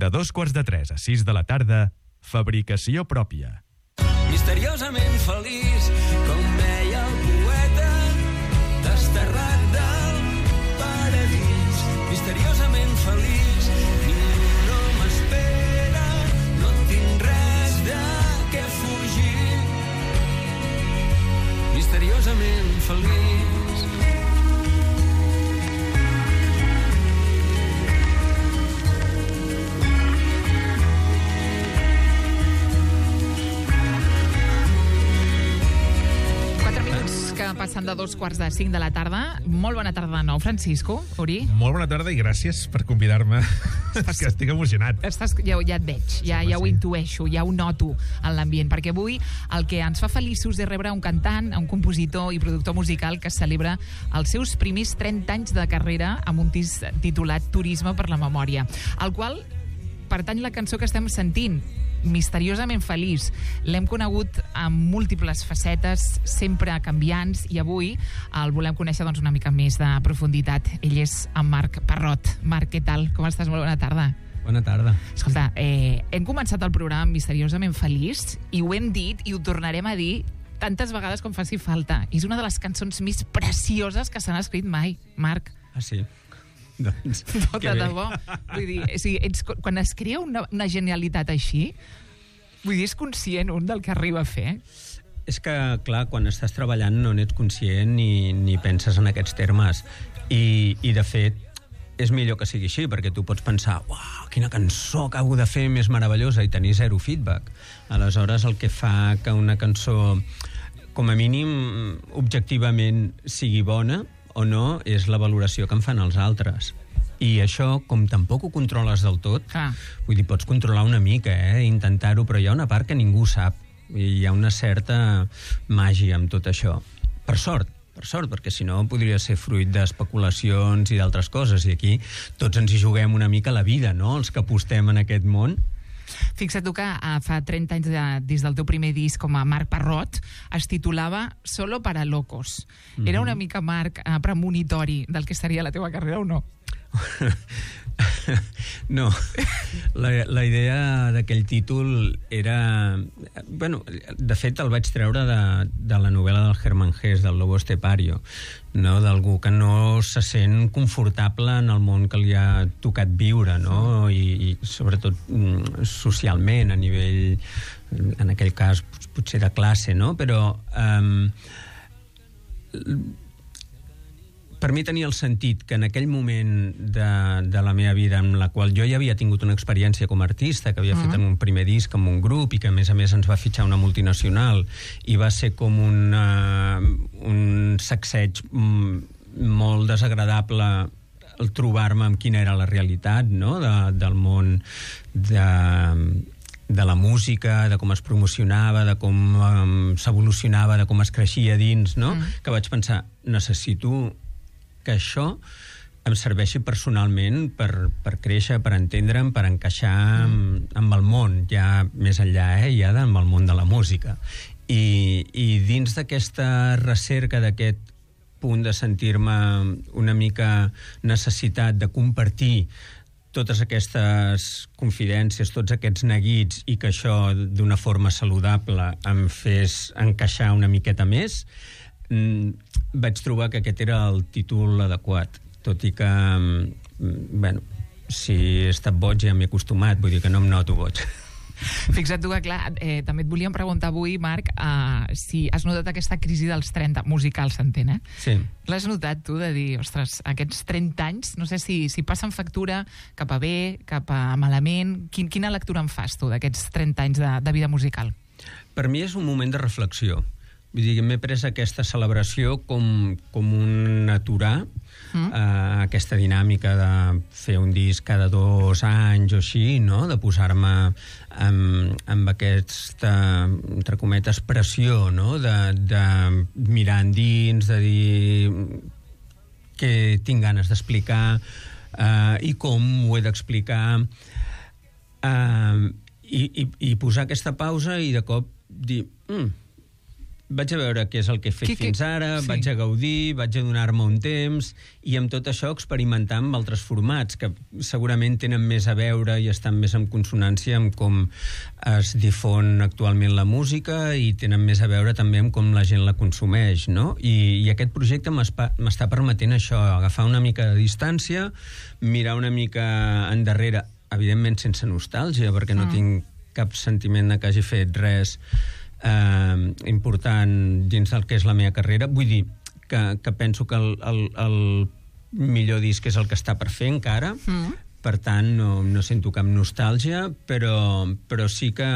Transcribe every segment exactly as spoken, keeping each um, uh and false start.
De dos quarts de tres a sis de la tarda, fabricació pròpia. Misteriosament feliç, com deia el poeta, desterrat del paradís. Misteriosament feliç, ningú no m'espera, no tinc res de què fugir. Misteriosament feliç. Que passen de dos quarts de cinc de la tarda. Molt bona tarda de nou, Francisco, Uri. Molt bona tarda i gràcies per convidar-me. És que estic emocionat. Estàs, ja, ja et veig, ja, ja ho intueixo, ja ho noto en l'ambient, perquè avui el que ens fa feliços és rebre un cantant, un compositor i productor musical que celebra els seus primers trenta anys de carrera amb un disc titulat Turisme per la Memòria, al qual pertany la cançó que estem sentint, Misteriosament feliç. L'hem conegut amb múltiples facetes, sempre canviants, i avui el volem conèixer doncs, una mica més de profunditat. Ell és en Marc Parrot. Marc, què tal? Com estàs? Molt bona tarda. Bona tarda. Escolta, eh, hem començat el programa Misteriosament feliç i ho hem dit i ho tornarem a dir tantes vegades com faci falta. És una de les cançons més precioses que s'han escrit mai, Marc. Ah, sí? Doncs, no, de debò. Vull dir, o sigui, ets, quan es crea una, una genialitat així, vull dir, és conscient un del que arriba a fer? És que, clar, quan estàs treballant no n'ets conscient ni, ni penses en aquests termes. I, i, de fet, és millor que sigui així, perquè tu pots pensar, uau, quina cançó acabo de fer més meravellosa, i tenir zero feedback. Aleshores, el que fa que una cançó, com a mínim, objectivament sigui bona o no, és la valoració que en fan els altres. I això, com tampoc ho controles del tot, ah. vull dir, pots controlar una mica, eh, intentar-ho, però hi ha una part que ningú sap, i hi ha una certa màgia amb tot això. Per sort, per sort, perquè si no podria ser fruit d'especulacions i d'altres coses, i aquí tots ens hi juguem una mica la vida, no?, els que apostem en aquest món. Fixa't tu que uh, fa trenta anys de, des del teu primer disc com a Marc Parrot es titulava Solo para locos. Mm-hmm. Era una mica, Marc, uh, premonitori del que seria la teva carrera o no? No, la, la idea d'aquell títol era... Bueno, de fet el vaig treure de, de la novel·la del Hermann Hesse, del Lobo Estepario, no? D'algú que no se sent confortable en el món que li ha tocat viure, no? I, i sobretot socialment, a nivell, en aquell cas, potser de classe, no? Però... Um, per mi tenia el sentit que en aquell moment de, de la meva vida en la qual jo ja havia tingut una experiència com a artista, que havia uh-huh. fet en un primer disc amb un grup i que a més a més ens va fitxar una multinacional i va ser com una, un sacseig molt desagradable el trobar-me amb quina era la realitat, no? de, del món de... de la música, de com es promocionava, de com um, s'evolucionava, de com es creixia dins, no? Mm. Que vaig pensar, necessito que això em serveixi personalment per, per créixer, per entendre'm, per encaixar mm. amb, amb el món, ja més enllà, eh? Ja amb el món de la música. I, i dins d'aquesta recerca, d'aquest punt de sentir-me una mica necessitat de compartir totes aquestes confidències, tots aquests neguits, i que això d'una forma saludable em fes encaixar una miqueta més, vaig trobar que aquest era el títol adequat, tot i que, bueno, si he estat boig ja m'he acostumat, vull dir que no em noto boig. Fixa't tu que, clar, eh, també et volíem preguntar avui, Marc, eh, si has notat aquesta crisi dels trenta, musical, s'entén, eh? Sí. L'has notat tu, de dir, ostres, aquests trenta anys, no sé si, si passen factura cap a bé, cap a malament, Quin, quina lectura en fas tu d'aquests trenta anys de, de vida musical? Per mi és un moment de reflexió. Vull dir, m'he pres aquesta celebració com, com un aturar mm. eh, aquesta dinàmica de fer un disc cada dos anys o així, no? De posar-me amb, amb aquesta, entre cometes, pressió, no? De, de mirar endins, de dir què tinc ganes d'explicar eh, i com ho he d'explicar, eh, i, i, i posar aquesta pausa i de cop dir... Mm, vaig a veure què és el que he fet que, fins ara, sí. vaig a gaudir, vaig a donar-me un temps, i amb tot això experimentar amb altres formats, que segurament tenen més a veure i estan més en consonància amb com es difon actualment la música i tenen més a veure també amb com la gent la consumeix, no? I, i aquest projecte m'està permetent això, agafar una mica de distància, mirar una mica endarrere, evidentment sense nostàlgia, perquè no mm. tinc cap sentiment de que hagi fet res eh, important dins del que és la meva carrera. Vull dir que, que penso que el, el, el millor disc és el que està per fer encara, mm. per tant no, no sento cap nostàlgia, però, però sí que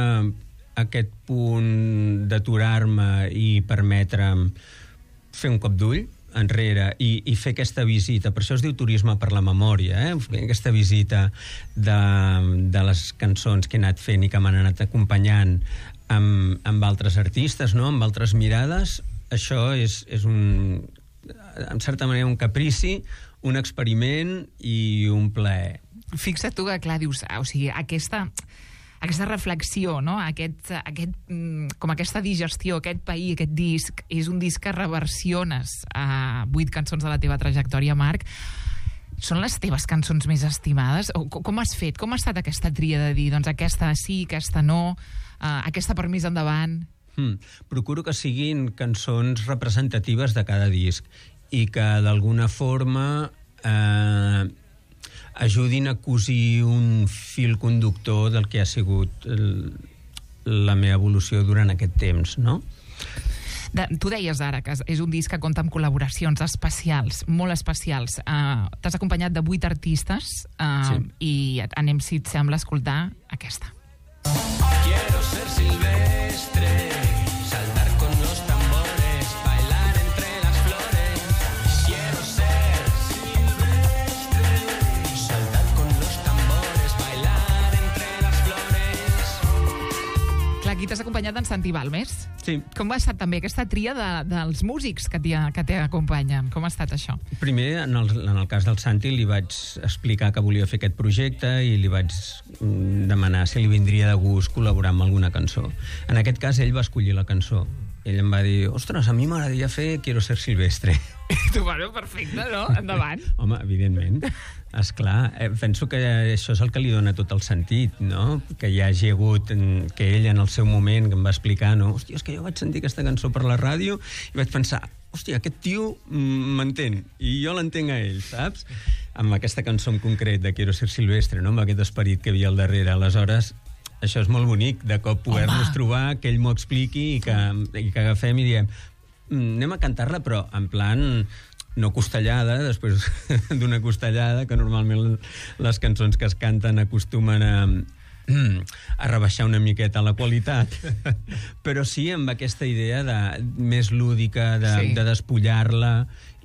aquest punt d'aturar-me i permetre'm fer un cop d'ull enrere i, i fer aquesta visita, per això es diu turisme per la memòria, eh? Aquesta visita de, de les cançons que he anat fent i que m'han anat acompanyant amb, amb altres artistes, no? Amb altres mirades, això és, és un, en certa manera un caprici, un experiment i un plaer. Fixa't tu que, clar, dius, o sigui, aquesta... aquesta reflexió, no? aquest, aquest, com aquesta digestió, aquest pair, aquest disc, és un disc que reversiones a vuit cançons de la teva trajectòria, Marc. Són les teves cançons més estimades? O com has fet? Com ha estat aquesta tria de dir, doncs aquesta sí, aquesta no, uh, aquesta per més endavant? Hmm. Procuro que siguin cançons representatives de cada disc i que d'alguna forma eh, ajudin a cosir un fil conductor del que ha sigut el, la meva evolució durant aquest temps, no? De, tu deies ara que és un disc que compta amb col·laboracions especials, molt especials. Uh, T'has acompanyat de vuit artistes uh, sí. I anem, si et sembla, a escoltar aquesta. Quiero ser silvestre, saltar con los tambores, bailar entre las flores. Quiero ser silvestre, saltar con los tambores, bailar entre las flores. Clar, aquí t'has acompanyat d'en Santi Balmes. Sí. Com ha estat també aquesta tria de, dels músics que t'acompanyen? Com ha estat això? Primer, en el, en el cas del Santi, li vaig explicar que volia fer aquest projecte i li vaig demanar si li vindria de gust col·laborar amb alguna cançó. En aquest cas, ell va escollir la cançó. Ell em va dir, ostres, a mi m'agradaria fer Quiero ser silvestre. Tu, bueno, perfecte, no? Endavant. Home, evidentment. Esclar, eh, penso que això és el que li dona tot el sentit, no? Que hi hagi hagut, que ell en el seu moment que em va explicar, no? Hòstia, és que jo vaig sentir aquesta cançó per la ràdio i vaig pensar, hòstia, aquest tio m'entén i jo l'entenc a ell, saps? Amb aquesta cançó en concret de Quiero ser silvestre, no? Amb aquest esperit que hi havia al darrere. Aleshores, això és molt bonic, de cop poder-nos trobar, que ell m'ho expliqui i que, i que agafem i diem anem a cantar-la, però en plan no costellada, després d'una costellada, que normalment les cançons que es canten acostumen a, a rebaixar una miqueta la qualitat, però sí amb aquesta idea de, més lúdica, de, sí. de despullar-la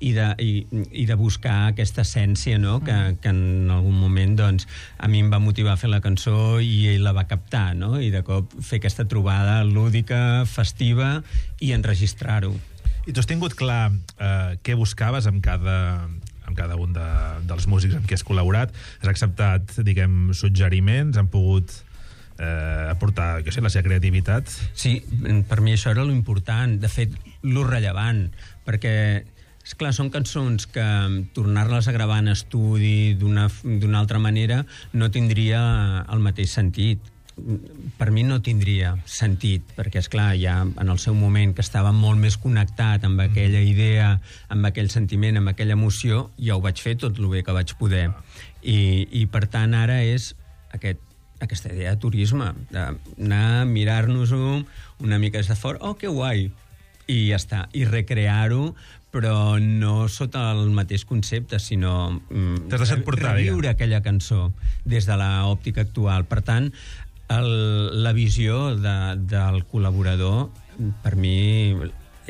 i de, i, i de buscar aquesta essència, no? que, que en algun moment doncs, a mi em va motivar a fer la cançó i ell la va captar, no? I de cop fer aquesta trobada lúdica, festiva i enregistrar-ho. I tu has tingut clar eh, què buscaves amb cada, amb cada un de, dels músics amb qui has col·laborat? Has acceptat, diguem, suggeriments? Han pogut eh, aportar, jo sé, la seva creativitat? Sí, per mi això era lo important, de fet, lo rellevant, perquè esclar, són cançons que tornar-les a gravar en estudi d'una d'una altra manera no tindria el mateix sentit. Per mi no tindria sentit, perquè, esclar, ja en el seu moment que estava molt més connectat amb aquella idea, amb aquell sentiment, amb aquella emoció, ja ho vaig fer tot el bé que vaig poder. I, i per tant, ara és aquest, aquesta idea de turisme, d'anar a mirar-nos-ho una mica des de fora, oh, que guai, i ja està, i recrear-ho, però no sota el mateix concepte, sinó mm, portar, reviure aquella cançó des de l'òptica actual. Per tant, el, la visió de, del col·laborador, per mi,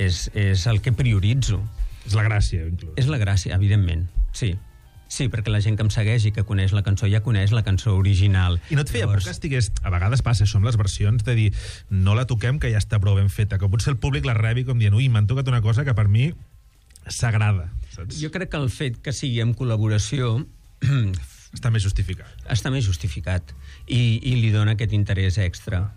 és, és el que prioritzo. És la gràcia, inclús. És la gràcia, evidentment, sí. Sí, perquè la gent que em segueix i que coneix la cançó ja coneix la cançó original. I no et feia Llavors... por que estigués... A vegades passa això amb les versions, de dir, no la toquem, que ja està prou ben feta, que potser el públic la rebi com dient, ui, m'han tocat una cosa que per mi s'agrada, saps? Jo crec que el fet que sigui en col·laboració està més justificat. Està més justificat i, i li dona aquest interès extra.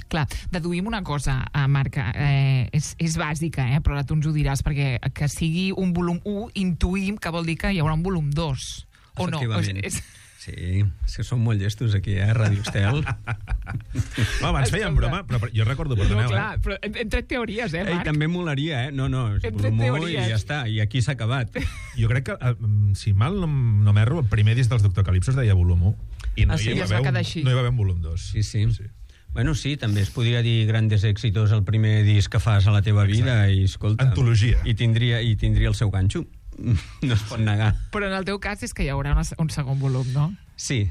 Clar, deduïm una cosa, eh, Marc, eh, és, és bàsica, eh, però ara tu ens ho diràs, perquè que sigui un volum u, intuïm que vol dir que hi haurà un volum dos. O no? Efectivament. És, és... Sí, és que som molt llestos aquí, eh, a Ràdio Estel. No, abans feien Escolta. broma, però jo recordo, perdoneu, No, clar, eh? però hem, hem tret teories, eh, Ei, Marc? també molaria, eh? No, no, és Entre volum u i teories. ja està, i aquí s'ha acabat. Jo crec que, eh, si mal no, no m'erro, el primer disc dels Doctor Calypso es deia volum u, i no, Ah, sí? hi, I va es va haver quedar un, així. no hi va haver un volum dos. Sí, sí. Bueno, sí, també es podria dir Grandes Éxitos el primer disc que fas a la teva vida i, escolta... Antologia. I tindria, i tindria el seu ganxo. No es pot negar. Però en el teu cas és que hi haurà una, un segon volum, no? Sí,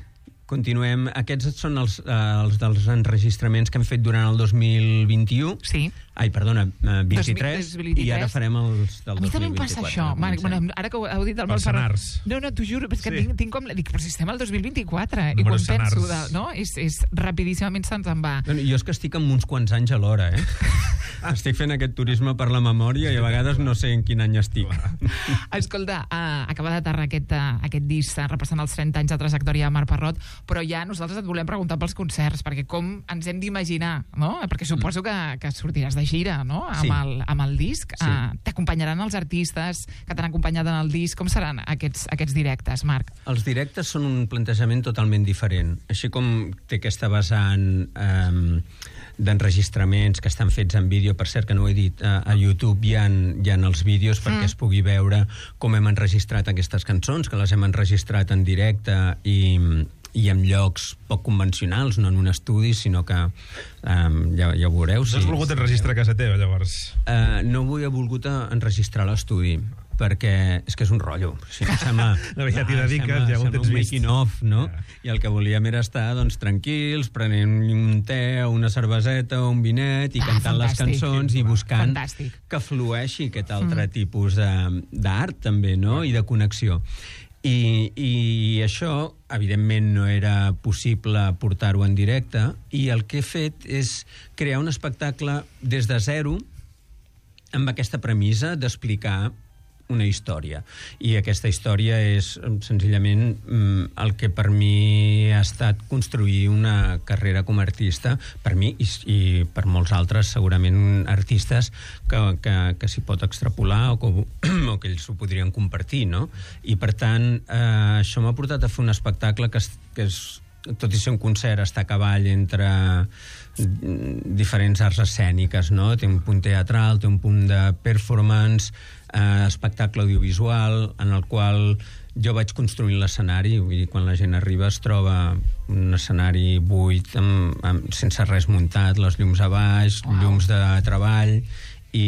continuem. Aquests són els, eh, els dels enregistraments que hem fet durant el dos mil vint-i-u. Sí. Ai, perdona, eh, vint-i-tres, dos mil vint-i-tres. i ara farem els del A mi dos també mil em passa vint-i-quatre. això, Marc. Comencem. Bueno, ara que ho heu dit del Els Marc Ferran- senars. No, no, t'ho juro, és que Sí. tinc, tinc com... Dic, però si estem al dos mil vint-i-quatre, i Números quan penso, de, senars. no? És, és rapidíssimament se'ns en va. Bueno, jo és que estic amb uns quants anys alhora, eh? Estic fent aquest turisme per la memòria i a vegades no sé en quin any estic. Escolta, uh, acaba d'aterrar aquest, uh, aquest disc uh, repassant els trenta anys de trajectòria de Marc Parrot, però ja nosaltres et volem preguntar pels concerts, perquè com ens hem d'imaginar, no? Perquè suposo que, que sortiràs de gira, no? Amb, Sí. el, amb el disc. Sí. Uh, T'acompanyaran els artistes que t'han acompanyat en el disc. Com seran aquests, aquests directes, Marc? Els directes són un plantejament totalment diferent. Així com té aquesta vessant eh, d'enregistraments que estan fets en vídeo, per cert que no ho he dit, a, a YouTube hi ha, hi ha els vídeos perquè Mm. es pugui veure com hem enregistrat aquestes cançons, que les hem enregistrat en directe i, i en llocs poc convencionals, no en un estudi, sinó que um, ja, ja ho veureu. No has volgut enregistrar a casa teva, llavors? Uh, no vull he volgut a- enregistrar a l'estudi perquè és que és un rotllo. Si no, sembla, No, ja t'hi ah, dediques, sembla- ja ho sembla tens un vist. making of, no? Ja. I el que volíem era estar doncs, tranquils, prenent un te o una cerveseta o un vinet i Ah, cantant les fantàstic. cançons i buscant Fantàstic. que flueixi aquest altre mm. tipus de- d'art també, no? I de connexió. I, I això, evidentment, no era possible portar-ho en directe, i el que he fet és crear un espectacle des de zero amb aquesta premissa d'explicar una història. I aquesta història és senzillament mm, el que per mi ha estat construir una carrera com a artista, per mi i, i per molts altres, segurament artistes que, que, que s'hi pot extrapolar o que, o que ells ho podrien compartir, no? I per tant, eh, això m'ha portat a fer un espectacle que, es, que és, tot i ser un concert, està a cavall entre diferents arts escèniques, no? Té un punt teatral, té un punt de performance, eh, espectacle audiovisual, en el qual jo vaig construint l'escenari, vull dir, quan la gent arriba es troba un escenari buit, amb, amb, sense res muntat, les llums a baix, wow. llums de treball, i,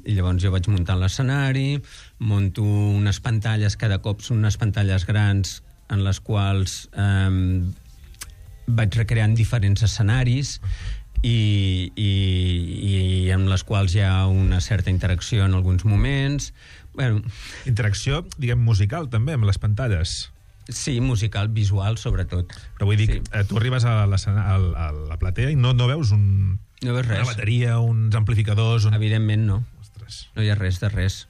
i llavors jo vaig muntant l'escenari, monto unes pantalles, cada cop són unes pantalles grans en les quals eh, vaig recreant diferents escenaris i, i, i amb les quals hi ha una certa interacció en alguns moments. Bueno, Interacció, diguem, musical, també, amb les pantalles. sí, musical, visual, sobretot. Però vull dir, Sí. sí. tu arribes a, l'escena- a, a la platea i no, no veus un, No veus una res. bateria, uns amplificadors... Un... Evidentment no. Ostres. No hi ha res de res.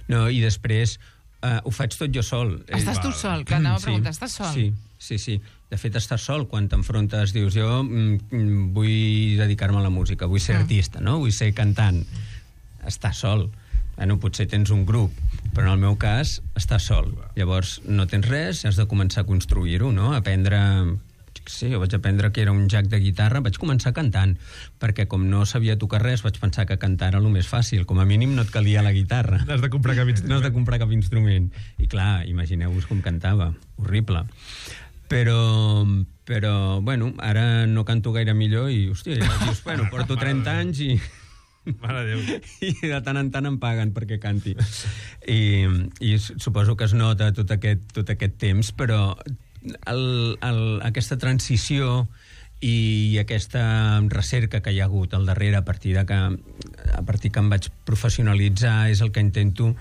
No, i després uh, ho faig tot jo sol. Estàs tu val. sol, que anava a preguntar, estàs sol? Sí, sí, sí. De fet, estàs sol quan t'enfrontes, dius, jo mm, vull dedicar-me a la música, vull ser Mm. artista, no? Vull ser cantant. Estàs sol. Bueno, potser tens un grup, però en el meu cas estàs sol. Llavors no tens res, has de començar a construir-ho, no? Aprendre... Jo què sé, jo vaig aprendre que era un jack de guitarra, vaig començar cantant, perquè com no sabia tocar res, vaig pensar que cantar era el més fàcil. Com a mínim no et calia la guitarra. No has de comprar cap instrument. No has de comprar cap instrument. I clar, imagineu-vos com cantava. Horrible. Però, però, bueno, ara no canto gaire millor i, hòstia, ja dius, bueno, porto trenta anys i... Mare de Déu. i de tant en tant em paguen perquè canti. I, i suposo que es nota tot aquest, tot aquest temps, però el, el, aquesta transició i aquesta recerca que hi ha hagut al darrere a partir de que, a partir que em vaig professionalitzar és el que intento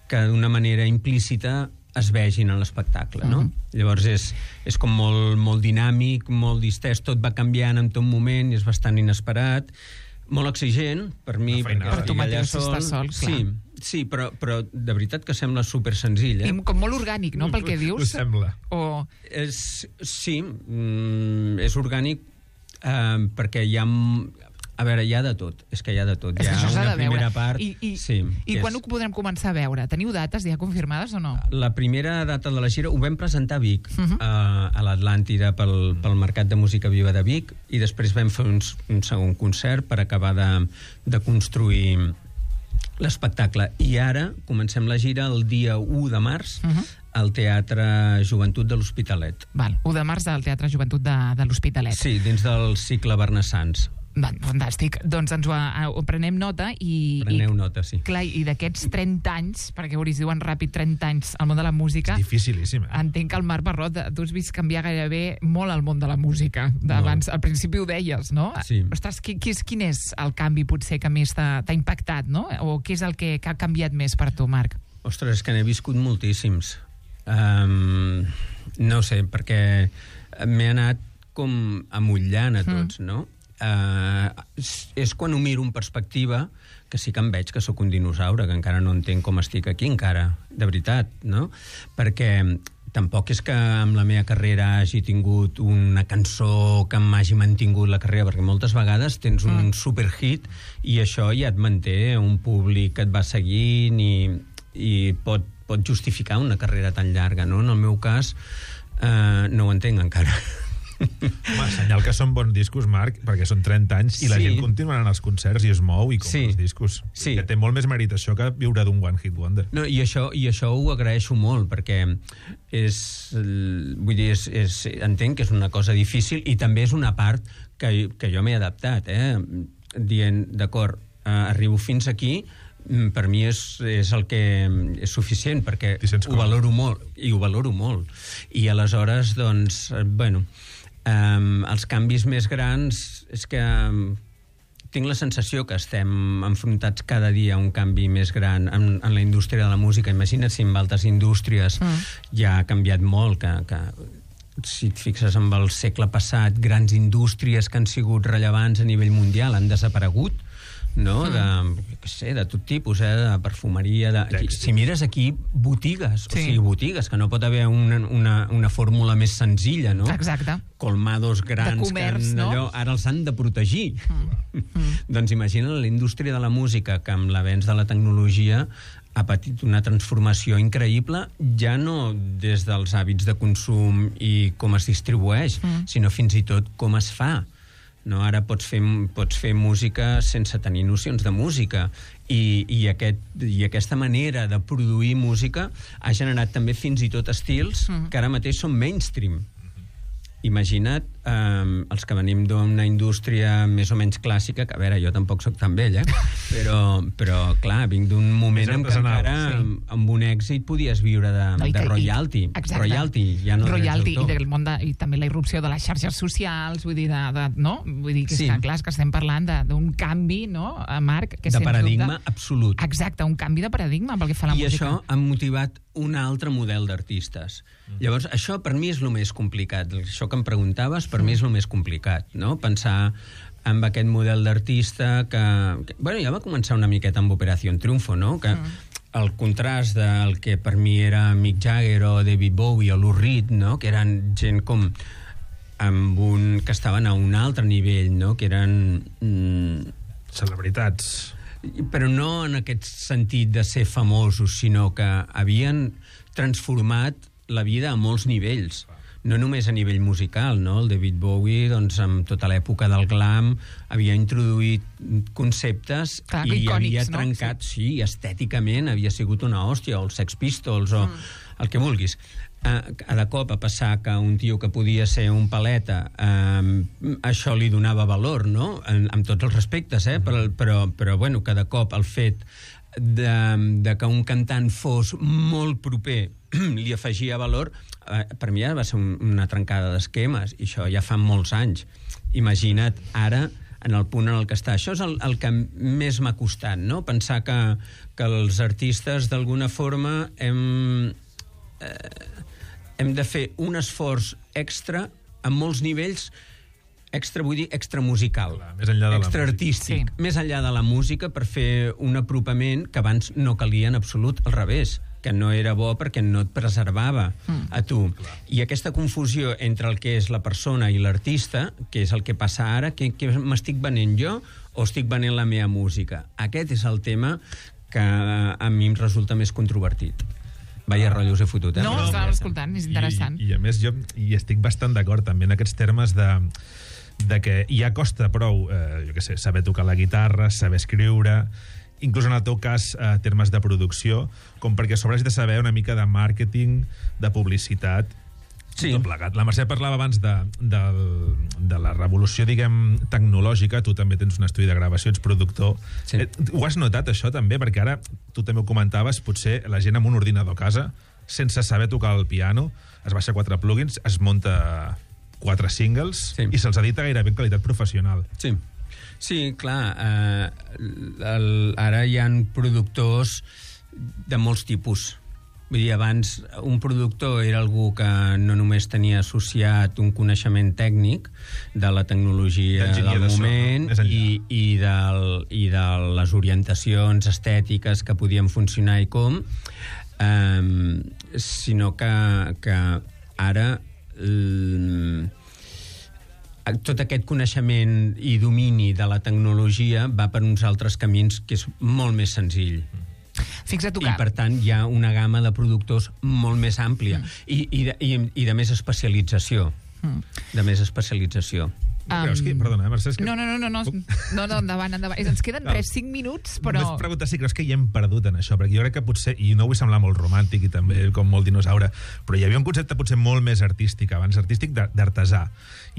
que d'una manera implícita es vegin en l'espectacle, no? Uh-huh. Llavors és, és com molt, molt dinàmic, molt distès, tot va canviant en tot moment i és bastant inesperat, molt exigent per mi, Una feinada. perquè Per tu estic allà mateix estar sol, clar. Sí, sí, però, però de veritat que sembla super senzill, eh? I com molt orgànic, no?, pel que Ho dius. sembla. O... És, sí, mm, és orgànic Uh, perquè hi ha... A veure, hi ha de tot. És que hi ha de tot. És Hi que ha això s'ha una de veure. primera part... I, i, sí, i és... quan ho podrem començar a veure? Teniu dates ja confirmades o no? La primera data de la gira ho vam presentar a Vic, uh Mhm. -huh. a, a l'Atlàntida pel, pel Mercat de Música Viva de Vic, i després vam fer uns, un segon concert per acabar de, de construir l'espectacle. I ara comencem la gira el dia u de març uh Mhm. -huh. al Teatre Joventut de l'Hospitalet. Val, u de març al Teatre Joventut de, de l'Hospitalet. Sí, dins del cicle Bernassans. Va, fantàstic. Doncs ens ho, ho prenem nota i... Preneu i, nota, sí. Clar, i d'aquests trenta anys, perquè us diuen ràpid trenta anys al món de la música... És dificilíssim, eh? Entenc que el Marc Barrot, tu has vist canviar gairebé molt el món de la música. D'abans, al principi ho deies, no? Sí. Ostres, qui, qui és, quin és el canvi potser que més t'ha impactat, no? O què és el que, que ha canviat més per tu, Marc? Ostres, és que n'he viscut moltíssims. Um, no ho sé, perquè m'he anat com amullant a tots, mm. no? Uh, és, és quan ho miro en perspectiva que sí que em veig que sóc un dinosaure, que encara no entenc com estic aquí encara, de veritat, no? Perquè tampoc és que amb la meva carrera hagi tingut una cançó que m'hagi mantingut la carrera, perquè moltes vegades tens un mm. superhit i això ja et manté un públic que et va seguint i, i pot, pot justificar una carrera tan llarga, no? En el meu cas, uh, no ho entenc encara. Home, senyal que són bons discos, Marc, perquè són trenta anys i la Sí. gent continua anant als concerts i es mou i compra Sí. els discos. Sí. Que té molt més mèrit això que viure d'un One Hit Wonder. No, i això, i això ho agraeixo molt, perquè és, vull dir, és, és, entenc que és una cosa difícil i també és una part que, que jo m'he adaptat, eh? Dient, d'acord, eh, arribo fins aquí, per mi és, és el que és suficient, perquè ho valoro molt, i ho valoro molt. I aleshores, doncs, bueno, um, els canvis més grans és que um, tinc la sensació que estem enfrontats cada dia a un canvi més gran en, en la indústria de la música. Imagina't si en altres indústries mm. ja ha canviat molt, que, que si et fixes en el segle passat, grans indústries que han sigut rellevants a nivell mundial han desaparegut, no? Mm. De, què sé, de tot tipus, eh? De perfumeria, de... Aquí, si mires aquí, botigues, sí. o sigui, botigues, que no pot haver una, una, una fórmula més senzilla, no? Exacte. Colmados grans, de comerç, que no? allò, ara els han de protegir. Mm. Mm. Doncs imagina la indústria de la música, que amb l'avenç de la tecnologia ha patit una transformació increïble, ja no des dels hàbits de consum i com es distribueix, mm. sinó fins i tot com es fa. No? Ara pots fer, pots fer música sense tenir nocions de música i, i, aquest, i aquesta manera de produir música ha generat també fins i tot estils mm. que ara mateix són mainstream. Imagina't um, els que venim d'una indústria més o menys clàssica, que a veure, jo tampoc sóc tan vell, eh? però, però clar, vinc d'un moment en què encara sí. amb, amb un èxit podies viure de, no, de royalty. I, royalty, ja no royalty i, del món de, i també la irrupció de les xarxes socials, vull dir, de, de, no? Vull dir que, sí. que clar, és que estem parlant d'un canvi, no, Marc? Que de paradigma dubte, absolut. Exacte, un canvi de paradigma pel que fa a la I música. I això ha motivat un altre model d'artistes. Mm. Llavors, això per mi és el més complicat. Això que em preguntaves, per mm. mi és el més complicat, no? Pensar en aquest model d'artista que, que... Bueno, ja va començar una miqueta amb Operació Triunfo, no? Que mm. el contrast del que per mi era Mick Jagger o David Bowie o Lou Reed, no? Que eren gent com amb un... que estaven a un altre nivell, no? Que eren... Mm, celebritats. Però no en aquest sentit de ser famosos, sinó que havien transformat la vida a molts nivells. No només a nivell musical, no? El David Bowie, doncs, amb tota l'època del glam, havia introduït conceptes Clar, i icònics, havia no? trencat, sí. sí, estèticament havia sigut una hòstia, o els Sex Pistols, o mm. el que vulguis. Uh, cada cop a passar que un tio que podia ser un paleta, uh, això li donava valor, no? En, amb tots els respectes, eh? Però, però, però bueno, cada cop el fet de, de que un cantant fos molt proper li afegia valor, uh, per mi ja va ser un, una trencada d'esquemes, i això ja fa molts anys. Imagina't ara en el punt en el que està. Això és el, el que més m'ha costat, no? Pensar que, que els artistes d'alguna forma hem... Eh, hem de fer un esforç extra en molts nivells, extra, vull dir, extra musical, Clar, més enllà de extra la artístic, sí. més enllà de la música, per fer un apropament que abans no calia en absolut, al revés. que no era bo perquè no et preservava mm. a tu. Clar. I aquesta confusió entre el que és la persona i l'artista, que és el que passa ara, que, que m'estic venent jo o estic venent la meva música? Aquest és el tema que a mi em resulta més controvertit. Vaya rotllo us he fotut, eh? No, Però... estàvem escoltant, és interessant. I, i a més jo hi estic bastant d'acord també en aquests termes de, de que ja costa prou, eh, jo què sé, saber tocar la guitarra, saber escriure, inclús en el teu cas, eh, termes de producció, com perquè sobre has de saber una mica de màrqueting, de publicitat, sí. tot plegat. La Mercè parlava abans de, de, de la revolució, diguem, tecnològica. Tu també tens un estudi de gravació, ets productor. Sí. Eh, ho has notat, això, també? Perquè ara, tu també ho comentaves, potser la gent amb un ordinador a casa, sense saber tocar el piano, es baixa quatre plugins, es munta quatre singles sí. i se'ls edita gairebé en qualitat professional. Sí. Sí, clar, eh, el, ara hi ha productors de molts tipus. Vull dir, abans un productor era algú que no només tenia associat un coneixement tècnic de la tecnologia del de moment so, no? i, i, del, i de les orientacions estètiques que podien funcionar i com, eh, sinó que, que ara... Eh, tot aquest coneixement i domini de la tecnologia va per uns altres camins que és molt més senzill. Fixa't tu que... I, per tant, hi ha una gamma de productors molt més àmplia mm. i, i, de, i, i de més especialització. Mm. De més especialització. No creus que... Perdona, eh, Mercè, que... No, no, no, no, no, no, no endavant, endavant. Ens queden res, cinc minuts, però... Només preguntar si creus que hi hem perdut en això, perquè jo crec que potser, i no vull semblar molt romàntic i també com molt dinosaure, però hi havia un concepte potser molt més artístic, abans artístic d'artesà,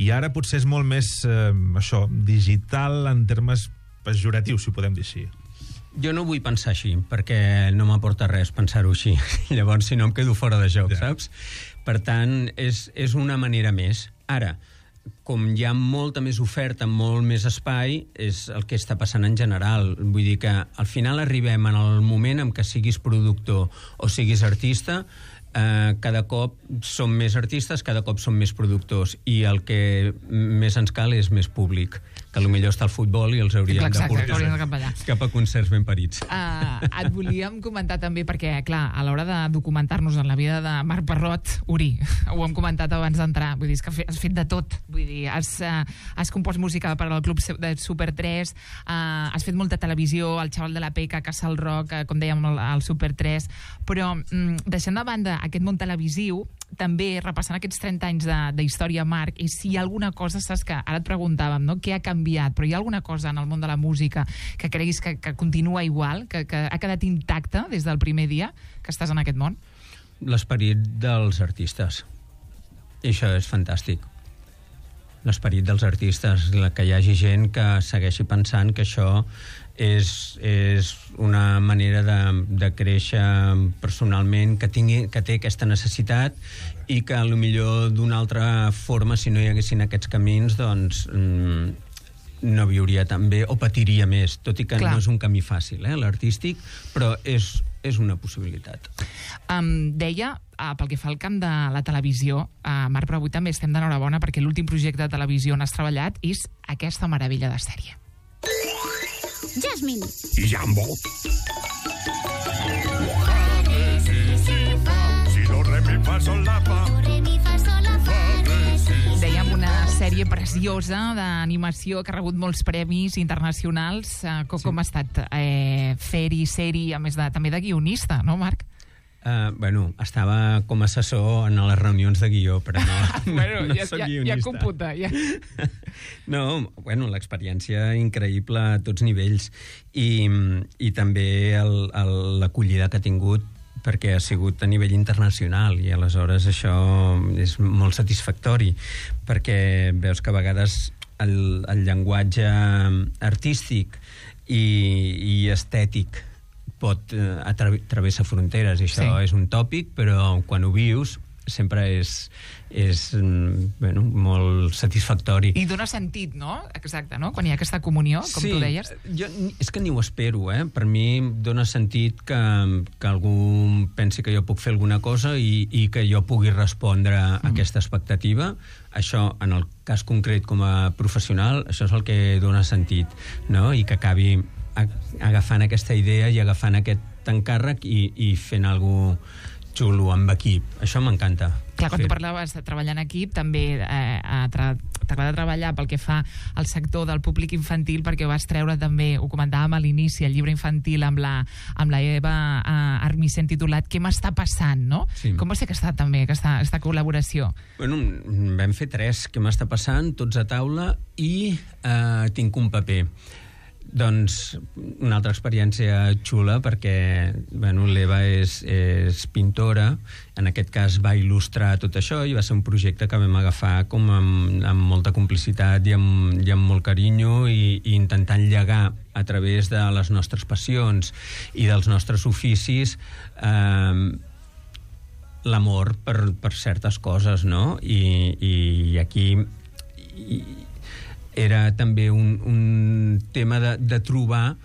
i ara potser és molt més, eh, això, digital en termes pejoratius, si ho podem dir així. Jo no vull pensar així, perquè no m'aporta res pensar-ho així. Llavors, si no, em quedo fora de joc, ja. Saps? Per tant, és, és una manera més. Ara, com hi ha molta més oferta, molt més espai, és el que està passant en general. Vull dir que al final arribem en el moment en què siguis productor o siguis artista, eh, cada cop som més artistes, cada cop som més productors, i el que més ens cal és més públic, que potser està al futbol i els hauríem Exacte, de portar de cap, cap a concerts ben parits. Uh, et volíem comentar també, perquè, clar, a l'hora de documentar-nos en la vida de Marc Parrot, Uri, ho hem comentat abans d'entrar, vull dir, és que has fet de tot, vull dir, has, uh, has compost música per al Club de Super tres, uh, has fet molta televisió, el Xaval de la Peca, Casa al Rock, uh, com dèiem, al, al Super tres, però um, deixant de banda aquest món televisiu, també repassant aquests trenta anys d'història, Marc, i si hi ha alguna cosa, saps que ara et preguntàvem, no? Què ha canviat, però hi ha alguna cosa en el món de la música que creguis que, que continua igual, que, que ha quedat intacta des del primer dia que estàs en aquest món? L'esperit dels artistes. I això és fantàstic. L'esperit dels artistes, que hi hagi gent que segueixi pensant que això és, és una manera de, de créixer personalment, que, tingui, que té aquesta necessitat, i que potser d'una altra forma, si no hi haguessin aquests camins, doncs mm, no viuria tan bé o patiria més, tot i que Clar. No és un camí fàcil, eh, l'artístic, però és, és una possibilitat. Um, deia, uh, pel que fa al camp de la televisió, uh, Marc, però avui també estem d'enhorabona perquè l'últim projecte de televisió on has treballat és aquesta meravella de sèrie. Jasmine. I Jambo. Dèiem una sèrie preciosa d'animació que ha rebut molts premis internacionals. Uh, com, sí. com ha estat eh, fer-hi, ser-hi, a més de, també de guionista, no, Marc? Uh, bueno, estava com a assessor en les reunions de guió, però no, bueno, no ja, soc ja, guionista. Ja computa, ja. No, bueno, l'experiència increïble a tots nivells, i, i també l'acollida que ha tingut, perquè ha sigut a nivell internacional, i aleshores això és molt satisfactori, perquè veus que a vegades el, el llenguatge artístic i, i estètic pot eh, travessar fronteres, i això sí. És un tòpic, però quan ho vius sempre és, és bueno, molt satisfactori. I dona sentit, no? Exacte, no? Quan hi ha aquesta comunió, com sí, tu deies. Jo, és que ni ho espero, eh? Per mi dona sentit que, que algú pensi que jo puc fer alguna cosa i, i que jo pugui respondre a mm. aquesta expectativa. Això, en el cas concret com a professional, això és el que dona sentit, no? I que acabi agafant aquesta idea i agafant aquest agafant càrrec i, i fent alguna cosa xulo amb equip. Això m'encanta. Clar, quan tu parlaves de treballar en equip, també eh, tra t'agrada treballar pel que fa al sector del públic infantil, perquè vas treure també, ho comentàvem a l'inici, el llibre infantil amb la, amb la Eva eh, Armisen titulat Què m'està passant, no? Sí. Com va ser aquesta, també, aquesta, aquesta col·laboració? Bueno, vam fer tres. Què m'està passant? Tots a taula i eh, tinc un paper. Doncs una altra experiència xula perquè bueno, l'Eva és, és pintora, en aquest cas va il·lustrar tot això i va ser un projecte que vam agafar com amb, amb molta complicitat i amb, i amb molt carinyo i, i intentant llegar a través de les nostres passions i dels nostres oficis eh, l'amor per, per certes coses, no? I, i aquí... I, era també un, un tema de, de trobar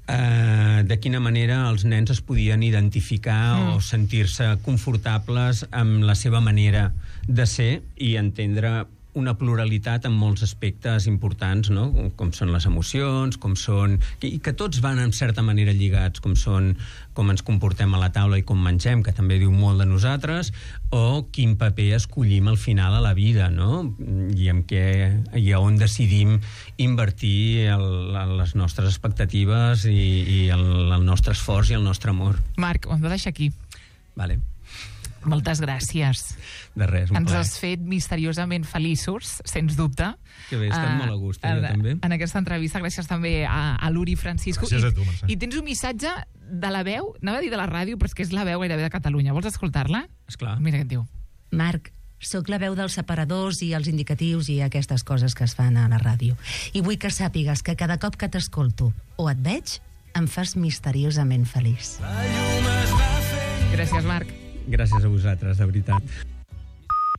eh, de quina manera els nens es podien identificar mm. o sentir-se confortables amb la seva manera de ser i entendre una pluralitat en molts aspectes importants, no? Com són les emocions, com són... i que tots van en certa manera lligats, com són com ens comportem a la taula i com mengem, que també diu molt de nosaltres, o quin paper escollim al final a la vida, no? I, amb què, i on decidim invertir el, les nostres expectatives i, i el, el nostre esforç i el nostre amor. Marc, ho hem de deixar aquí. Vale. Moltes gràcies. De res, un Ens plaer. has fet misteriosament feliços, sens dubte. Que bé, estem Uh, molt a gust, eh, jo en, també. En aquesta entrevista, gràcies també a, a l'Uri Francisco. Gràcies I, a tu, Mercè. I tens un missatge de la veu, anava a dir de la ràdio, però és que és la veu gairebé de Catalunya. Vols escoltar-la? Esclar. Mira què et diu. Marc, sóc la veu dels separadors i els indicatius i aquestes coses que es fan a la ràdio. I vull que sàpigues que cada cop que t'escolto o et veig, em fas misteriosament feliç. Gràcies, Marc. Gràcies a vosaltres, de veritat.